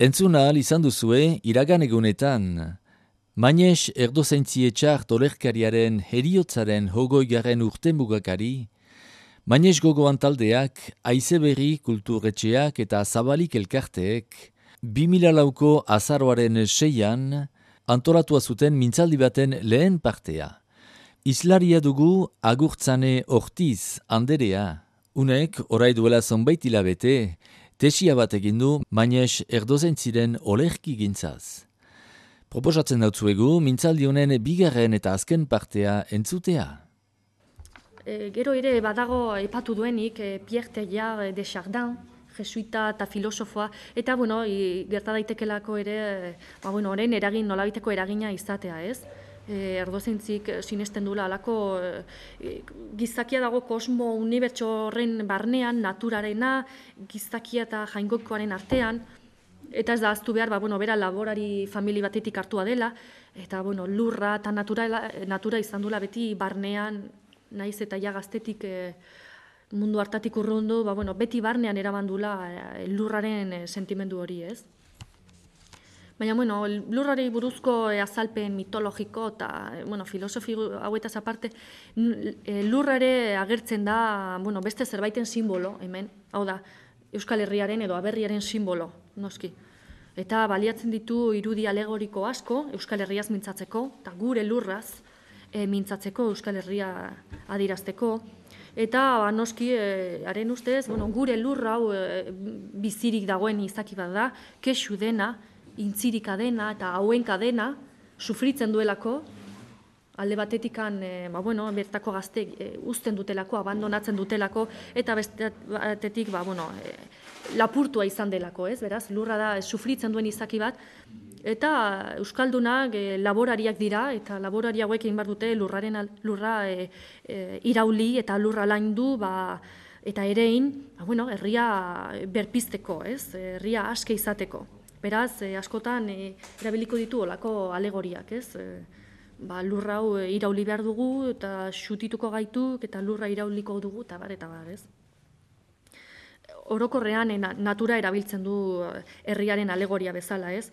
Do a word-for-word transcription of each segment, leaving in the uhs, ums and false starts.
Entzuna ahal izan duzue iragan egunetan. Mañez erdozaintzietxar tolerkariaren heriotzaren hogoigaren urte mugakari, Mañez gogoan taldeak, Aizeberri kulturetxeak eta Zabalik elkarteek, bi mila lauko azaroaren seian, antolatua zuten mintzaldi baten lehen partea. Islaria dugu Agurtzane Ortiz Anderea, unek orai duela zonbait hilabete, tesia bat egin du Mañez erdozaintziren olerki gintzaz. Proposatzen dautzuegu, mintzaldi honen bigarren eta azken partea entzutea. E, gero ere badago aipatu duenik e, Pierre Teilhard de Chardin, jesuita eta filosofoa, eta bueno, i, gerta daitekelako ere, e, ba, bueno, orain eragin nolabiteko eragina izatea, ez? E, erdozaintzik sinesten duela alako e, gizakia dago kosmo unibertso horren barnean, naturarena, gizakia eta jaingokoaren artean, eta ez da ahaztu behar, ba, bueno, bera laborari famili batetik hartua dela, eta bueno, lurra eta natura, natura izan duela beti barnean, naiz eta ja gaztetik e, mundu hartatik urrundu, ba, bueno, beti barnean erabandula e, lurraren e, sentimendu hori, ez? Baina, bueno, lurrari buruzko e, azalpen mitologiko eta, e, bueno, filosofi hauetaz aparte, e, lurrare agertzen da, bueno, beste zerbaiten simbolo, hemen, hau da, Euskal Herriaren edo aberriaren simbolo, noski. Eta baliatzen ditu irudi alegoriko asko, Euskal Herriaz mintzatzeko, eta gure lurraz e, mintzatzeko, Euskal Herria adirazteko. Eta ba, noski, e, haren ustez, bueno, gure lurra hau e, bizirik dagoen izaki bat da, kexu dena, intzirika dena eta hauenka dena, sufritzen duelako, alde batetikan, e, ba, bueno, bertako gazte e, uzten dutelako, abandonatzen dutelako, eta beste batetik, ba, bueno, e, lapurtua izan delako, ez, beraz, lurra da, e, sufritzen duen izaki bat, eta euskaldunak e, laborariak dira, eta laborari hauek egin behar dute lurraren lurra e, e, irauli eta lurra laindu, ba, eta erein, ba, bueno, herria berpizteko, ez, herria aske izateko. Beraz, e, askotan e, erabiliko ditu olako alegoriak, ez, e, ba, lurra hau irauli behar dugu, eta xutituko gaituk, eta lurra irauliko dugu, eta bar, eta bar, ez. Orokorrean, natura erabiltzen du herriaren alegoria bezala, ez.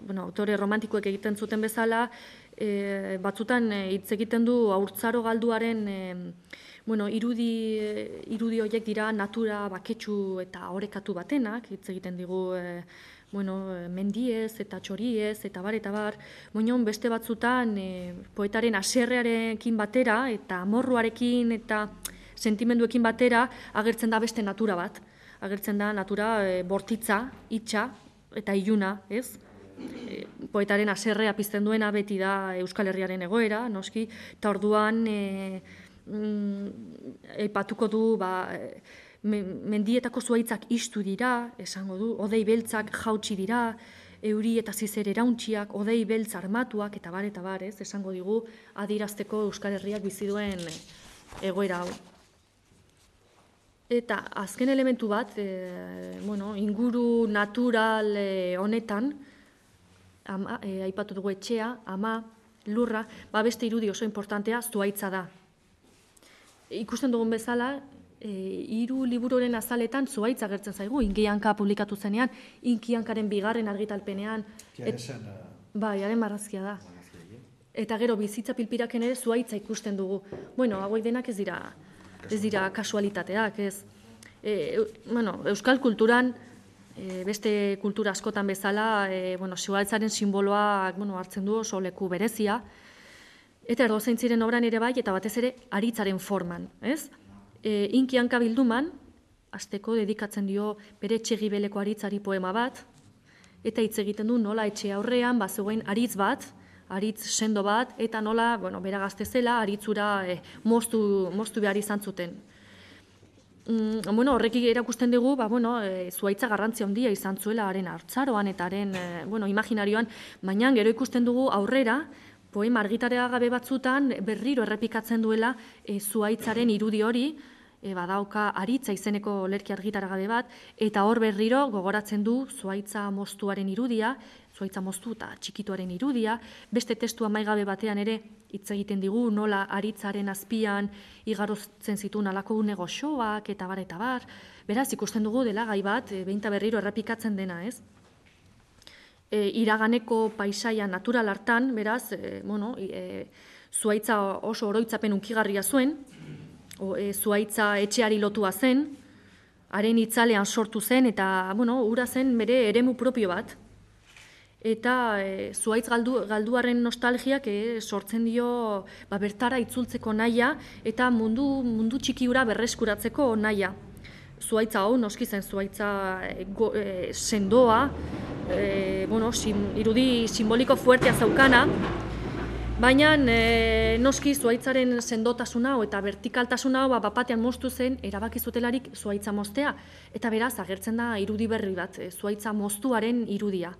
Bueno, autore romantikoek egiten zuten bezala, e, batzutan hitz egiten du haurtzaro galduaren e, bueno, irudi, irudi horiek dira natura baketsu eta orekatu batenak, hitz egiten digu e, bueno, mendiez eta txoriez eta bar eta bar, moinon beste batzutan e, poetaren haserrearekin batera eta amorruarekin eta sentimenduekin batera agertzen da beste natura bat. Agertzen da natura e, bortitza, itxa eta iluna, ez? E, poetaren haserrea pizten duena beti da Euskal Herriaren egoera, noski, eta orduan e, mm, aipatuko du, ba, mendietako zuaitzak istu dira, esango du, odei beltzak jautsi dira, euri eta zizer erauntxiak, odei beltz armatuak, eta bar, eta bar, ez, esango digu, adirazteko Euskal Herriak bizi duen egoera hau. Eta azken elementu bat, e, bueno, inguru natural e, honetan, ama, e, aipatu dugu etxea, ama, lurra, ba beste irudi oso importantea zuaitza da. Ikusten dugun bezala, e, hiru libururen azaletan zuaitza agertzen zaigu, Inkianka publikatu zenean, Inkiankaren bigarren argitalpenean. Et, bai, haren marrazkia da. Eta gero bizitza pilpiraken ere zuaitza ikusten dugu. Bueno, hauek denak ez dira, ez dira kasualitateak, ez. E, bueno, euskal kulturan, e, beste kultura askotan bezala, e, bueno, zuaitzaren simboloa bueno, hartzen du oso leku berezia, eta erdozaintziren obran ere bai, eta batez ere aritzaren forman, ez? E, Inkianka bilduman, hasteko dedikatzen dio bere etxegibeleko aritzari poema bat, eta hitz egiten du nola etxe aurrean, bazegoen aritz bat, aritz sendo bat, eta nola, bueno, bera gazte zela, aritzura e, moztu, moztu behar izan zuten. Mm, bueno, horrekik erakusten dugu, ba, bueno, e, zuaitza garrantzia handia izan zuela haren hartzaroan eta haren, e, bueno, imaginarioan, baina gero ikusten dugu aurrera, poema argitarea gabe batzutan berriro errepikatzen duela e, zuaitzaren irudi hori, e, badauka aritza izeneko olerki argitaragabe bat, eta hor berriro gogoratzen du zuaitza moztuaren irudia, zuaitza moztu eta txikituaren irudia, beste testu amaigabe batean ere hitz egiten digu nola aritzaren azpian igarotzen zituen alako une goxoak eta bar eta bar. Beraz, ikusten dugu dela gai bat, e, behinta berriro errepikatzen dena, ez? e, iraganeko paisaia natural hartan, beraz, e, bueno, e, zuaitza oso oroitzapen unkigarria zuen, o, e, zuaitza etxeari lotua zen, haren itzalean sortu zen, eta, bueno, ura zen bere eremu propio bat. Eta e, zuaitz galdu, galduaren nostalgiak e, sortzen dio ba, bertara itzultzeko nahia eta mundu, mundu txiki ura berreskuratzeko nahia. Zuaitza hau, noski zen zuaitza e, go, e, sendoa, e, bueno, sim, irudi simboliko fuertea zaukana, baina e, noski zuaitzaren sendotasuna eta vertikaltasuna ba, bapatean moztu zen erabaki zutelarik zuaitza moztea. Eta beraz, agertzen da irudi berri bat, e, zuaitza moztuaren irudia.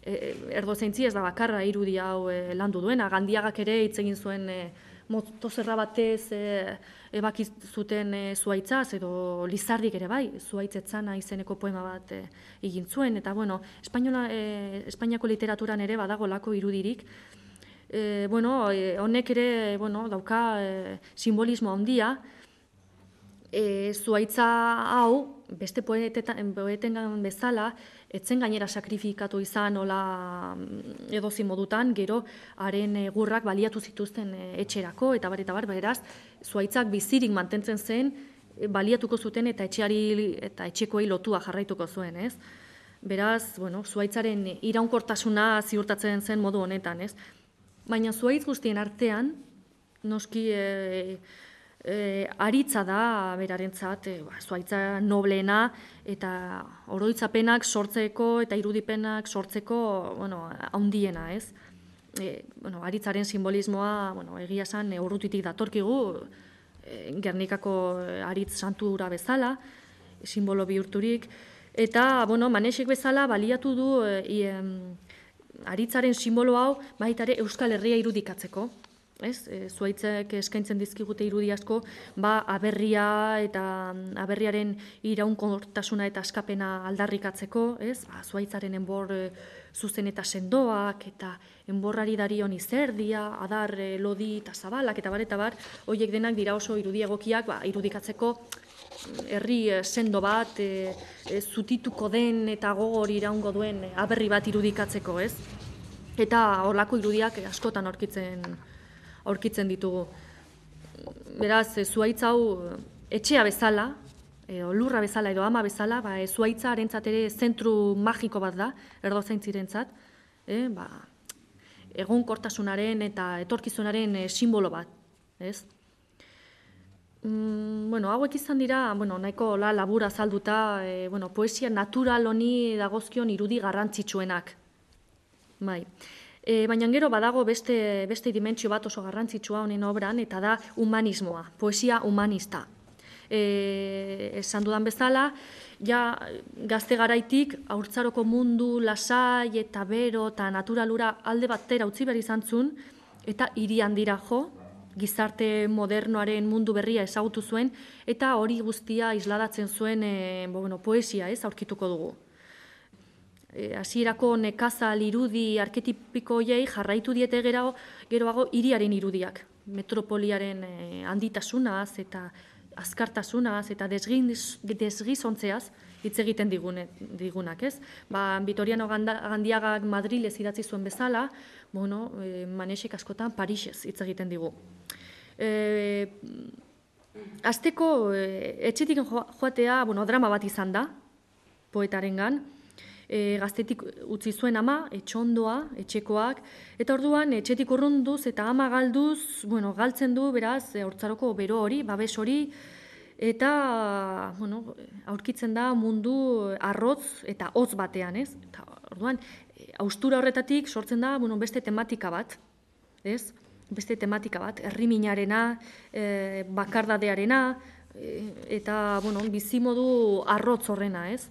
Erdozeintzi ez da bakarra irudi hau e, landu duena, Gandiagak ere hitz egin zuen e, motozerra batez e, ebaki zuten e, zuaitzaz, edo Lizardik ere bai, zuaitzetzana izeneko poema bat e, egin zuen, eta bueno, Espainola, e, Espainiako literaturan ere badago lako irudirik. E, bueno, e, honek ere bueno, dauka e, simbolismo handia, e, zuaitza hau, beste poetengan bezala, etzen gainera sakrifikatu izan hola edozi modutan, gero haren egurrak baliatu zituzten etxerako, eta bar, eta bar, beraz, zuaitzak bizirik mantentzen zen, baliatuko zuten eta etxeari eta etxekoei lotua jarraituko zuen, ez? Beraz, bueno, zuaitzaren iraunkortasuna ziurtatzen zen modu honetan, ez? Baina zuaitz guztien artean, noski e, E, aritza da berarentzat, e, ba, zuaitza nobleena eta oroitzapenak sortzeko eta irudipenak sortzeko, bueno, handiena, ez? E, bueno, aritzaren simbolismoa, bueno, egia esan e, urrutitik datorkigu, e, Gernikako aritz santura bezala, simbolo bihurturik, eta, bueno, Manexek bezala baliatu du e, e, aritzaren simbolo hau baita ere Euskal Herria irudikatzeko. Ez, e, zuaitzek eskaintzen dizkigute irudi asko, ba, aberria eta aberriaren iraunkortasuna eta askapena aldarrikatzeko, ez, ba, zuaitzaren enbor e, zuzen eta sendoak, eta enborrari darion izerdia, adar e, lodi eta zabalak, eta bar, eta bar, horiek denak dira oso irudi egokiak, ba, irudikatzeko herri e, sendo bat, e, e, zutituko den eta gogor iraungo duen e, aberri bat irudikatzeko, ez, eta horlako irudiak askotan aurkitzen aurkitzen ditugu. Beraz, e, zuaitz hau etxea bezala, e, lurra bezala edo ama bezala, ba, e, zuaitza harentzat ere zentru magiko bat da, erdozaintzirentzat, e, ba, egonkortasunaren eta etorkizunaren e, simbolo bat, ez? Mm, bueno, hauek izan dira, bueno, nahiko la, labura azalduta, e, bueno, poesia natural honi dagozkion irudi garrantzitsuenak. Bai. E, baina gero badago beste, beste dimentsio bat oso garrantzitsua honen obran, eta da humanismoa, poesia humanista. E, esan dudan bezala, ja gazte garaitik haurtzaroko mundu lasai eta bero eta naturalura alde batera utzi behar izan zuen, eta hiri handira jo, gizarte modernoaren mundu berria ezagutu zuen, eta hori guztia isladatzen zuen e, bueno, poesia, ez, aurkituko dugu. Hasierako e, nekazal irudi arketipiko hoiei jarraitu diete gero, geroago hiriaren irudiak. Metropoliaren e, handitasunaz eta azkartasunaz eta desgizontzeaz hitz egiten digune, digunak, ez? Ba, Vitoriano Gandiagak Madrilez idatzi zuen bezala, bueno, e, Manexek askotan Parisez hitz egiten digu. E, Azteko e, etxetik joatea, bueno, drama bat izan da, poetarengan. E, gaztetik utzi zuen ama, etxondoa, etxekoak, eta orduan etxetik urrunduz eta ama galduz, bueno, galtzen du, beraz, haurtzaroko bero hori, babes hori, eta, bueno, aurkitzen da mundu arrotz eta hotz batean, ez? Eta orduan, haustura horretatik sortzen da, bueno, beste tematika bat, ez? Beste tematika bat, herriminarena, e, bakardadearena, e, eta, bueno, bizimodu arrotz horrena, ez?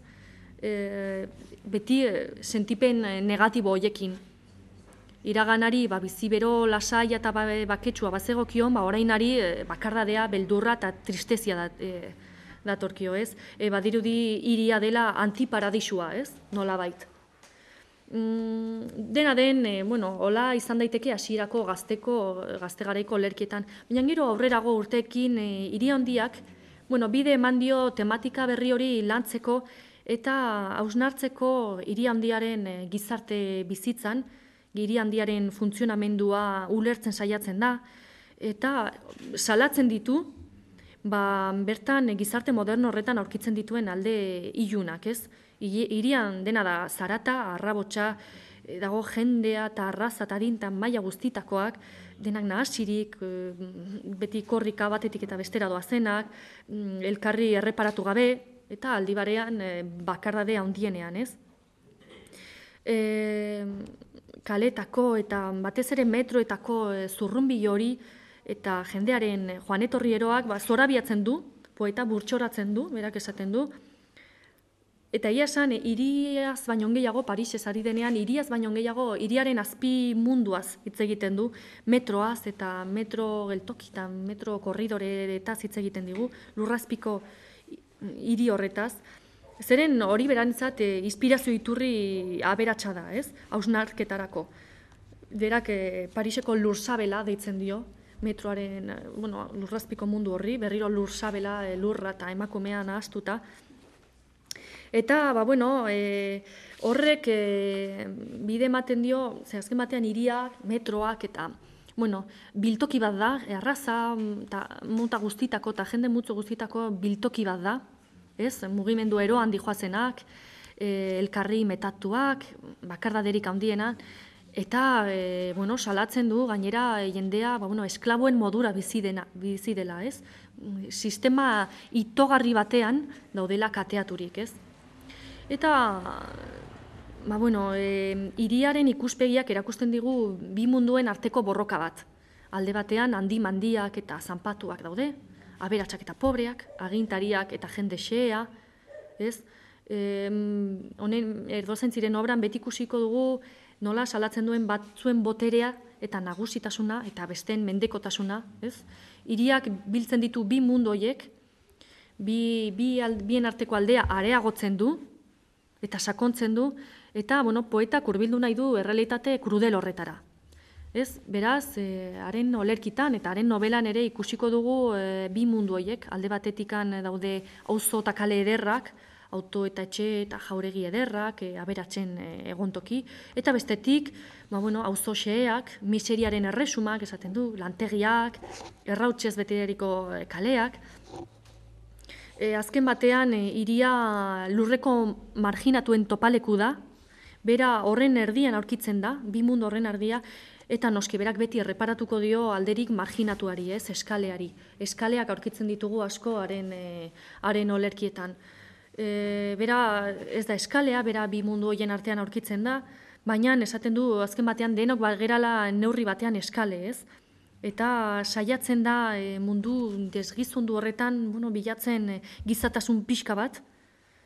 E, beti e, sentipen negatibo hoiekin. Iraganari ba, bizibero, lasai eta ba, baketsua bazegokion, ba, orainari e, bakardadea, beldurra eta tristezia dat, e, datorkio, ez? E, badirudi hiria dela antiparadisua, ez? Nola bait. Mm, dena den, e, bueno, hola izan daiteke hasierako gazteko, gazte garaiko lerkietan. Baina gero aurrerago urteekin e, hiri handiak, bueno, bide eman dio tematika berri hori lantzeko, eta hausnartzeko hiri handiaren gizarte bizitzan, hiri handiaren funtzionamendua ulertzen saiatzen da, eta salatzen ditu, ba, bertan gizarte moderno horretan aurkitzen dituen alde ilunak, ez? Hirian dena da zarata, arrabotsa, dago jendea eta arraza eta adintan maila guztitakoak, denak nahasirik, beti korrika batetik eta bestera doazenak, elkarri erreparatu gabe, eta aldi barean bakardade handienean, ez? E, kaletako eta batez ere metroetako zurrunbi hori eta jendearen joan etorri eroak ba, zorabiatzen du, poeta burtsoratzen du, berak esaten du, eta ia esan, hiriaz baino gehiago, Parisez ari denean, hiriaz baino gehiago, hiriaren azpi munduaz hitz egiten du, metroaz eta metro geltokitan, metro korridoretaz hitz egiten digu, lurrazpiko hiri horretaz. Zeren hori berantzat e, inspirazio iturri aberatsa da, ez? Hausnarketarako. Berak e, Pariseko lursabela deitzen dio, metroaren, bueno, lurrazpiko mundu horri, berriro lursabela, e, lurra eta emakumea nahastuta. Eta, ba, bueno, e, horrek e, bide ematen dio, ze azken batean hiriak, metroak eta, bueno, biltoki bat da, erraza, eta muta guztitako eta jende mutzu guztitako biltoki bat da, ez? Mugimendu eroan dijoazenak, e, elkarri metatuak, bakardaderik handiena, eta, e, bueno, salatzen du, gainera jendea, ba, bueno, esklaboen modura bizi dena, bizi dela, ez? Sistema itogarri batean daudela kateaturik, ez? Eta, ba, bueno, e, hiriaren ikuspegiak erakusten digu bi munduen arteko borroka bat. Alde batean handi mandiak eta zanpatuak daude, aberatsak eta pobreak, agintariak eta jende xea, ez? E, honen Erdosentziren obran beti ikusiko dugu nola salatzen duen batzuen boterea eta nagusitasuna eta besteen mendekotasuna, ez? Hiriak biltzen ditu bi mundu horiek, bi, bi al, bien arteko aldea areagotzen du, eta sakontzen du, eta, bueno, poetak hurbildu nahi du errealitate krudel horretara. Ez, beraz, e, haren olerkitan eta haren novelan ere ikusiko dugu e, bi mundu horiek, alde batetikan daude auzo eta kale ederrak, auto eta etxe eta jauregi ederrak, e, aberatzen e, egontoki, eta bestetik, ba, bueno, auzo xeak, miseriaren erresumak, esaten du, lantegiak, errautsez beteriko kaleak. E, azken batean, hiria e, lurreko marginatuen topaleku da, bera horren erdian aurkitzen da, bi mundu horren erdia, eta noski berak beti erreparatuko dio alderik marginatuari, ez, eskaleari. Eskaleak aurkitzen ditugu asko haren, e, haren olerkietan. E, bera ez da eskalea, bera bi mundu horien artean aurkitzen da, baina esaten du azken batean denok gerala neurri batean eskale, ez? Eta saiatzen da e, mundu desgizundu horretan, bueno, bilatzen e, gizatasun pixka bat,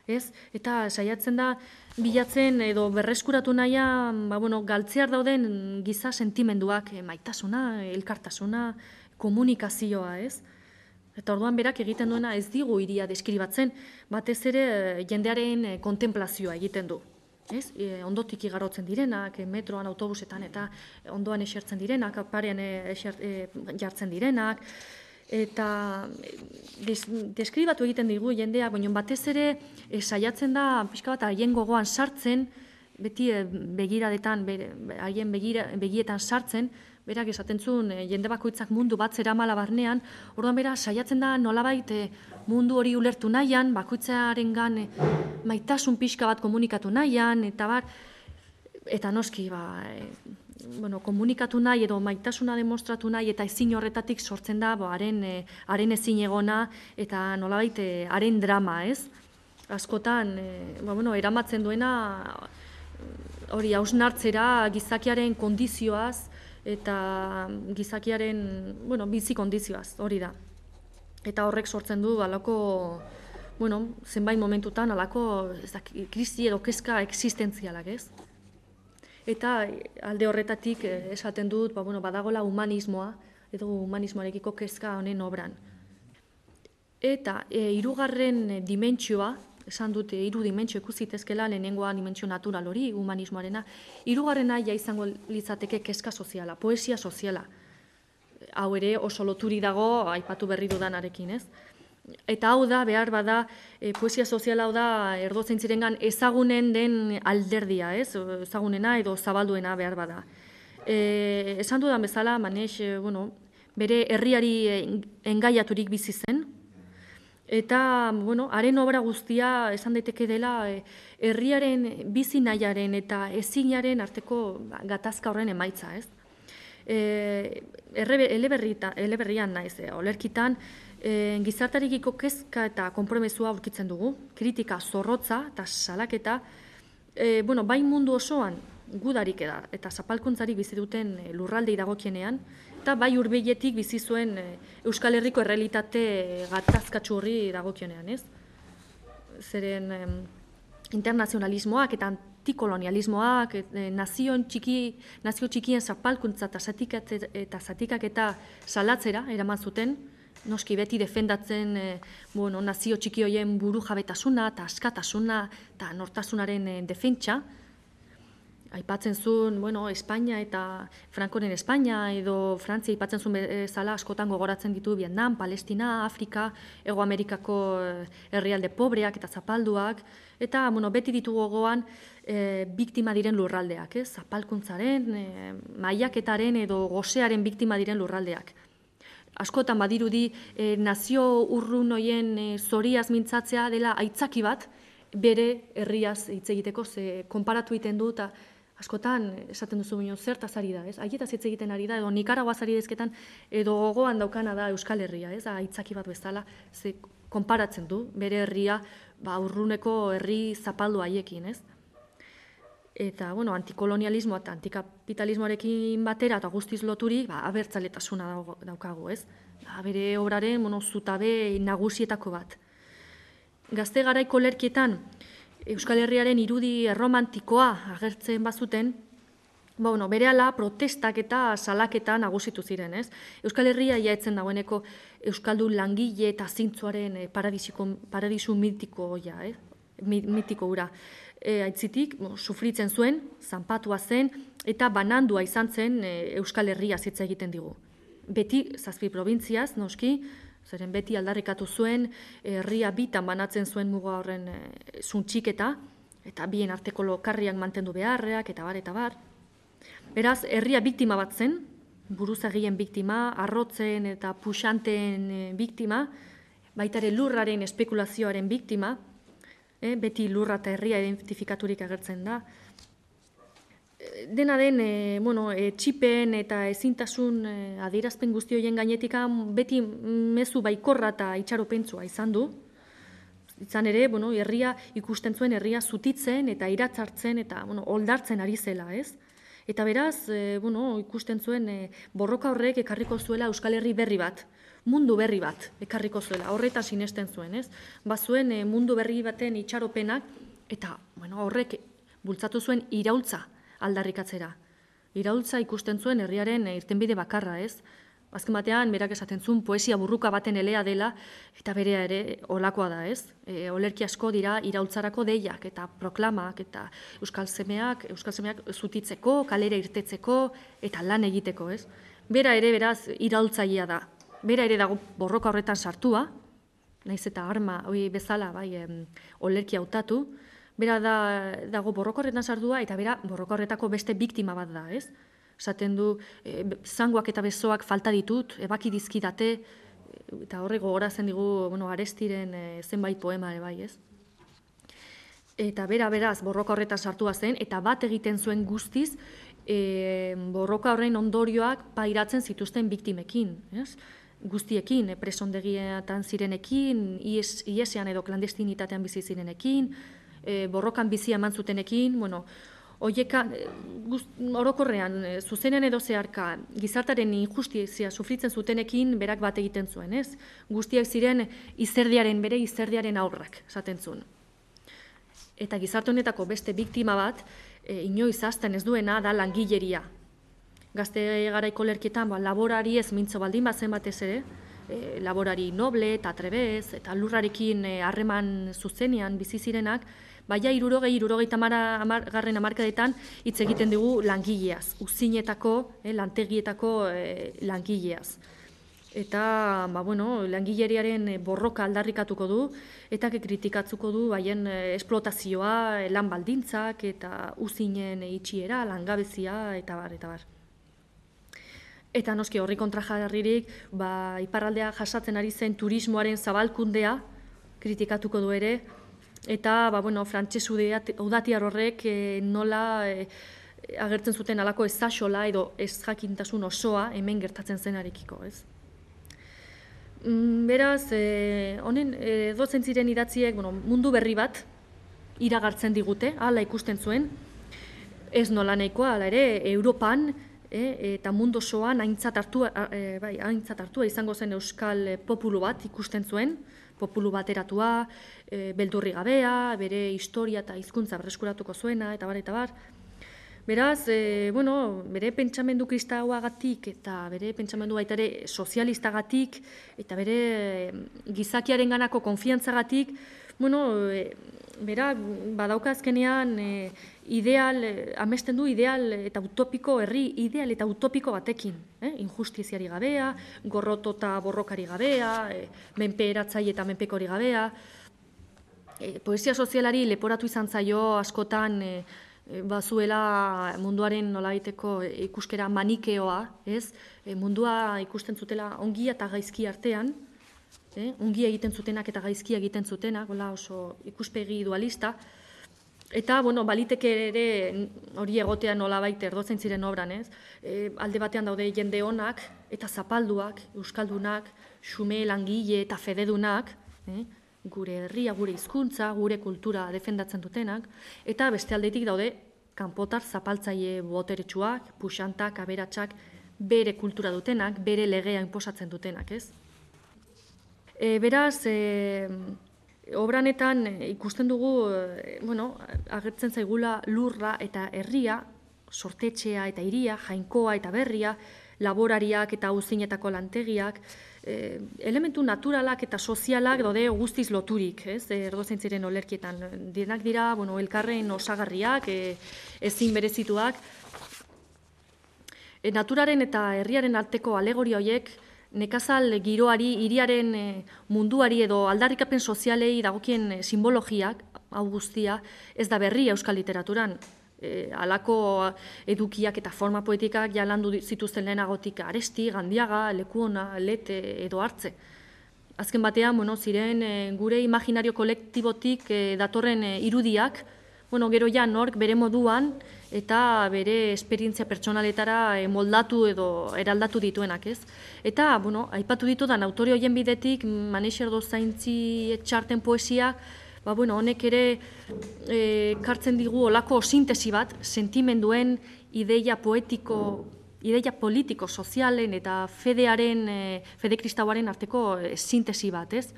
ez? Eta saiatzen da bilatzen edo berreskuratu nahian, ba, bueno, galtzear dauden giza sentimenduak, e, maitasuna, elkartasuna, komunikazioa, ez? Eta orduan berak egiten duena ez digu hiria deskribatzen, batez ere e, jendearen e, kontemplazioa egiten du. Ez? E, ondotik igarotzen direnak, e, metroan, autobusetan eta ondoan esertzen direnak, parean e, eser, e, jartzen direnak, eta des, deskribatu egiten digu jendea, baina batez ere e, saiatzen da pixka bat haien gogoan sartzen, beti e, begiradetan, haien begira, begietan sartzen, berak esaten zuen e, jende bakoitzak mundu bat zeramala barnean, orduan bera saiatzen da nolabait e, mundu hori ulertu nahian, bakoitzarengan e, maitasun pixka bat komunikatu nahian, eta bar, eta noski, ba, e, bueno, komunikatu nahi edo maitasuna demostratu nahi eta ezin horretatik sortzen da, bo, haren, e, haren ezin egona eta nolabait e, haren drama, ez? Askotan, e, ba, bueno, eramatzen duena hori hausnartzera gizakiaren kondizioaz eta gizakiaren, bueno, bizi kondizioaz, hori da. Eta horrek sortzen du alako, bueno, zenbait momentutan alako ez da, krisi edo kezka existentzialak, ez? Eta alde horretatik esaten dut, ba, bueno, badagola humanismoa, edo humanismoarekiko kezka honen obran. Eta e, hirugarren dimentsioa, esan dute hiru dimentsio ikusitezkela, lehenengoa dimentsio natural hori, humanismoarena, hirugarrena ja izango litzateke kezka soziala, poesia soziala. Hau ere oso loturi dago, aipatu berri dudanarekin, ez? Eta hau da, behar bada, e, poesia soziala hau da, Erdozaintzirengan ezagunen den alderdia, ez? Ezagunena edo zabalduena behar bada. E, esan dudan bezala, Manez, e, bueno, bere herriari engaiaturik bizi zen, eta, bueno, haren obra guztia esan daiteke dela e, herriaren bizi nahiaren eta ezinaren arteko gatazka horren emaitza, ez? E, eleberrian naiz, e, olerkitan, e, gizartarekiko kezka eta konpromesua aurkitzen dugu, kritika zorrotza eta salaketa, e, bueno, bai mundu osoan gudarik eda, eta zapalkuntzarik bizi duten e, lurraldei dagokienean, eta bai hurbiletik bizi zuen e, Euskal Herriko errealitate e, gatazkatsu horri dagokionean, ez? Zeren e, internazionalismoak eta antikolonialismoak, e, nazion txiki, nazio txikien zapalkuntza eta zatikak eta, zatikak eta salatzera eraman zuten, noski beti defendatzen e, bueno, nazio txiki horien buru jabetasuna eta askatasuna eta nortasunaren e, defentsa. Aipatzen zuen, bueno, Espainia eta Frankoren Espainia edo Frantzia aipatzen zuen bezala askotan gogoratzen ditu Vietnam, Palestina, Afrika, Hego Amerikako herrialde pobreak eta zapalduak, eta bueno, beti ditu gogoan e, biktima diren lurraldeak, ez? Zapalkuntzaren, e, maiaketaren edo gosearen biktima diren lurraldeak. Askotan badirudi e, nazio urrun hoien e, zoriaz mintzatzea dela aitzaki bat bere herriaz hitz egiteko, ze konparatu egiten du eta askotan esaten duzu bino zertaz ari da, ez? Haietaz hitz egiten ari da, edo Nikaraguaz ari dezketan, edo gogoan daukana da Euskal Herria, ez? Aitzaki bat bezala, ze konparatzen du bere herria ba, urruneko herri zapaldu haiekin, ez? Eta, bueno, antikolonialismoa eta antikapitalismoarekin batera eta guztiz loturik, ba, abertzaletasuna daukagu, ez? Ba, bere obraren, bueno, zutabe nagusietako bat. Gazte garaiko lerkietan, Euskal Herriaren irudi erromantikoa agertzen bazuten, ba, bueno, berehala protestak eta salaketa nagusitu ziren, ez? Euskal Herria jaetzen dagoeneko Euskaldun langile eta zintzoaren paradisu mitiko hoia, eh? mitiko ura. E, aitzitik, bo, sufritzen zuen, zanpatua zen, eta banandua izan zen e, Euskal Herria hitz egiten digu. Beti, zazpi probintziaz, noski, zeren beti aldarrikatu zuen, herria bitan banatzen zuen muga horren e, zuntxiketa, eta bien arteko lokarriak mantendu beharreak, eta bar, eta bar. Beraz, herria biktima bat zen, buruzagien biktima, arrotzen eta puxanteen e, biktima, baitare lurraren espekulazioaren biktima, e, beti lurra eta herria identifikaturik agertzen da. Dena den, e, bueno, e, txipen eta ezintasun e, adierazpen guzti horien gainetik beti mezu baikorra eta itxaropentsua izan du. Izan ere, bueno, herria ikusten zuen herria zutitzen eta iratzartzen eta bueno, oldartzen ari zela, ez? Eta beraz, e, bueno, ikusten zuen e, borroka horrek ekarriko zuela Euskal Herri berri bat, mundu berri bat ekarriko zuela, horreta sinesten zuen, ez? Bazuen e, mundu berri baten itxaropenak eta bueno, horrek bultzatu zuen iraultza aldarrikatzera. Iraultza ikusten zuen herriaren irtenbide bakarra, ez? Azken batean, berak esaten zuen poesia burruka baten elea dela, eta berea ere olakoa da, ez? E, olerki asko dira iraultzarako deiak eta proklamak eta euskal semeak, euskal semeak zutitzeko, kalera irtetzeko eta lan egiteko, ez? Bera ere beraz iraultzailea da. Bera ere dago borroka horretan sartua, naiz eta arma hori bezala, bai, em, olerki hautatu, bera da, dago borroka horretan sartua eta bera borroka horretako beste biktima bat da, ez? Esaten du, e, zangoak eta besoak falta ditut, ebaki dizkidate, eta horre gogoratzen digu, bueno, Arestiren e, zenbait poema ere bai, ez? Eta bera beraz borroka horretan sartua zen, eta bat egiten zuen guztiz, e, borroka horren ondorioak pairatzen zituzten biktimekin, ez? Guztiekin, e, presondegietan zirenekin, ies, iesean edo klandestinitatean bizi zirenekin, e, borrokan bizi eman zutenekin, bueno, Oieka, orokorrean, zuzenean edo zeharka, gizartaren injustizia sufritzen zutenekin berak bat egiten zuen, ez? Guztiak ziren izerdiaren, bere izerdiaren aurrak, esaten zuen. Eta gizarte honetako beste biktima bat, e, inoiz hazten ez duena, da langileria. Gazte garaiko lerkietan, ba, laborari ez mintzo baldin bazen batez ere, e, laborari noble eta trebez, eta lurrarekin harreman e, zuzenean bizi zirenak, baina irurogei, irurogeita garren hamarkadetan hitz egiten dugu langileaz, uzinetako, eh, lantegietako eh, langileaz. eta ba, bueno, langileriaren borroka aldarrikatuko du, eta kritikatzuko du haien esplotazioa, lan baldintzak, eta uzinen itxiera, langabezia, eta bar, eta bar. Eta noski horri kontra jarririk, ba, iparraldea jasatzen ari zen turismoaren zabalkundea kritikatuko du ere, eta ba, bueno, frantsesu udatiar horrek e, nola e, agertzen zuten alako ezaxola edo ez jakintasun osoa hemen gertatzen zenarekiko, ez? Beraz, e, honen edozen ziren idatziek bueno, mundu berri bat iragartzen digute, hala ikusten zuen, ez nola nahikoa, hala ere, Europan e, eta mundu osoan aintzat hartua, e, bai, aintzat hartua izango zen euskal populu bat ikusten zuen, populu bateratua, e, beldurri gabea, bere historia eta hizkuntza berreskuratuko zuena, eta bar, eta bar. Beraz, e, bueno, bere pentsamendu kristauagatik eta bere pentsamendu baita ere sozialistagatik eta bere gizakiaren ganako konfiantzagatik, bueno, e, bera badauka azkenean e, ideal, e, amesten du ideal eta utopiko, herri ideal eta utopiko batekin. Eh? Injustiziari gabea, gorroto eta borrokari gabea, e, menpe eratzaile eta menpekori gabea. E, poesia sozialari leporatu izan zaio askotan e, bazuela munduaren nolabaiteko ikuskera manikeoa, ez? E, mundua ikusten zutela ongia eta gaizki artean, eh? ongia egiten zutenak eta gaizkia egiten zutenak, gola oso ikuspegi dualista, eta, bueno, baliteke ere hori egotea nolabait erdotzen ziren obran, ez? E, alde batean daude jende onak eta zapalduak, euskaldunak, xume, langile eta fededunak, eh? gure herria, gure hizkuntza, gure kultura defendatzen dutenak, eta beste aldetik daude kanpotar zapaltzaile boteretsuak, puxantak, aberatsak, bere kultura dutenak, bere legea inposatzen dutenak, ez? E, beraz, e, obranetan ikusten dugu, e, bueno, agertzen zaigula lurra eta herria, sortetxea eta hiria, jainkoa eta berria, laborariak eta auzinetako lantegiak, eh, elementu naturalak eta sozialak daude guztiz loturik, ez? Erdozen ziren olerkietan. Denak dira, bueno, elkarren osagarriak, eh, ezin berezituak. E, naturaren eta herriaren arteko alegoria horiek nekazal giroari, hiriaren eh, munduari edo aldarrikapen sozialei dagokien eh, simbologiak, hau guztia, ez da berria euskal literaturan. E, alako edukiak eta forma poetikak jalandu zituzten lehenagotik Aresti, Gandiaga, Lekuona, Lete edo Hartze. Azken batean, bueno, ziren e, gure imaginario kolektibotik e, datorren e, irudiak, bueno, gero ja nork bere moduan eta bere esperientzia pertsonaletara e, moldatu edo eraldatu dituenak, ez? Eta, bueno, aipatu ditudan autore horien bidetik, Maneix Erdozaintzi Etxarten poesia, ba, bueno, honek ere e, kartzen digu olako sintesi bat, sentimenduen, ideia poetiko, ideia politiko, sozialen eta fedearen, e, fede kristauaren arteko e, sintesi bat, ez?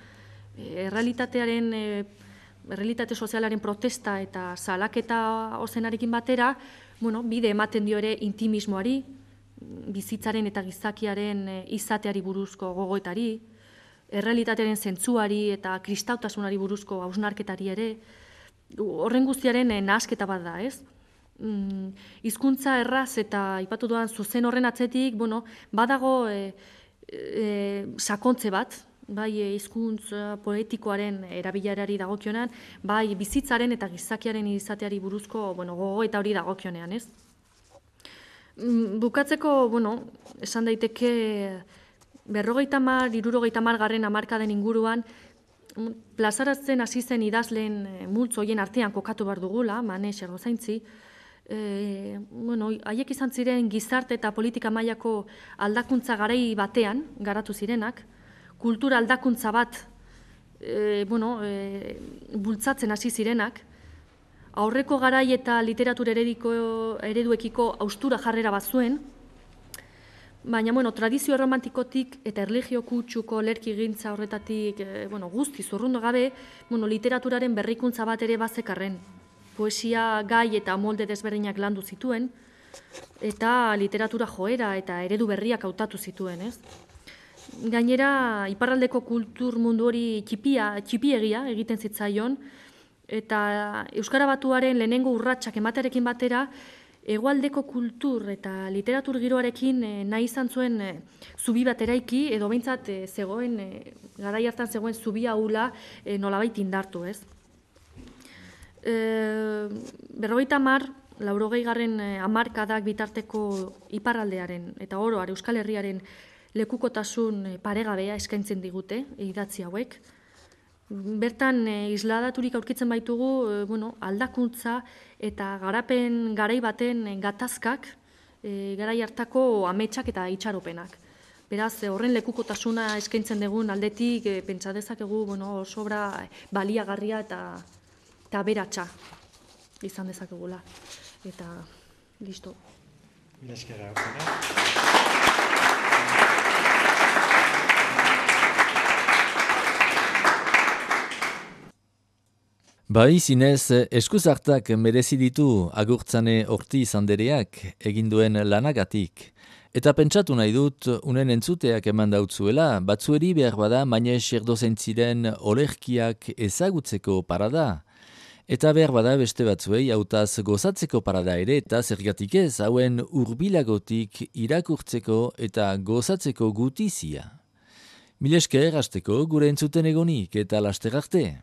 E, errealitatearen, e, errealitate sozialaren protesta eta salaketa ozenarekin batera, bueno, bide ematen dio ere intimismoari, bizitzaren eta gizakiaren e, izateari buruzko gogoetari, errealitatearen zentzuari eta kristautasunari buruzko hausnarketari ere, horren guztiaren nahasketa bat da, ez? Mm, hizkuntza erraz eta aipatu duan zuzen horren atzetik, bueno, badago e, e, sakontze bat, bai hizkuntza poetikoaren erabilerari dagokionean, bai bizitzaren eta gizakiaren izateari buruzko, bueno, gogoeta hori dagokionean, ez? Mm, bukatzeko, bueno, esan daiteke berrogeita hamar, hirurogeita hamar garren hamarkaden inguruan, plazaratzen hasi zen idazleen multzo horien artean kokatu behar dugula, Maneix Erdozaintzi, e, bueno, haiek izan ziren gizarte eta politika mailako aldakuntza garai batean garatu zirenak, kultura aldakuntza bat e, bueno, e, bultzatzen hasi zirenak, aurreko garai eta literatur ereduekiko haustura jarrera bat zuen, baina, bueno, tradizio romantikotik eta erlijio kutsuko lerkigintza horretatik e, bueno, guzti zurrundu gabe, bueno, literaturaren berrikuntza bat ere bazekarren. Poesia gai eta molde desberdinak landu zituen, eta literatura joera eta eredu berriak hautatu zituen, ez? Gainera, iparraldeko kultur mundu hori txipia, txipiegia egiten zitzaion, eta Euskara Batuaren lehenengo urratsak ematearekin batera, hegoaldeko kultur eta literatur giroarekin e, nahi izan zuen e, zubi bat eraiki, edo behintzat e, zegoen, e, garai hartan zegoen zubi ahula e, nolabait indartu, ez? E, berrogeita hamar, laurogei garren hamarkadak bitarteko iparraldearen eta oroar Euskal Herriaren lekukotasun paregabea eskaintzen digute idatzi hauek. Bertan isladaturik aurkitzen baitugu e, bueno, aldakuntza eta garapen garai baten gatazkak, e, garai hartako ametsak eta itxaropenak. Beraz, horren lekukotasuna eskaintzen dugun aldetik e, pentsa dezakegu bueno, sobra baliagarria eta, eta aberatsa izan dezakegula. Eta, listo. Mila esker, Agustina. Bai, zinez, eskuzartak merezi ditu Agurtzane Ortiz andereak egin duen lanagatik. Eta pentsatu nahi dut, unen entzuteak eman dautzuela, batzueri behar bada Mañez Erdozentziren olerkiak ezagutzeko parada. Eta behar bada beste batzuei hautaz gozatzeko parada ere, eta zergatik ez hauen hurbilagotik irakurtzeko eta gozatzeko gutizia. Mil esker hasteko gure entzuten egonik eta laster arte.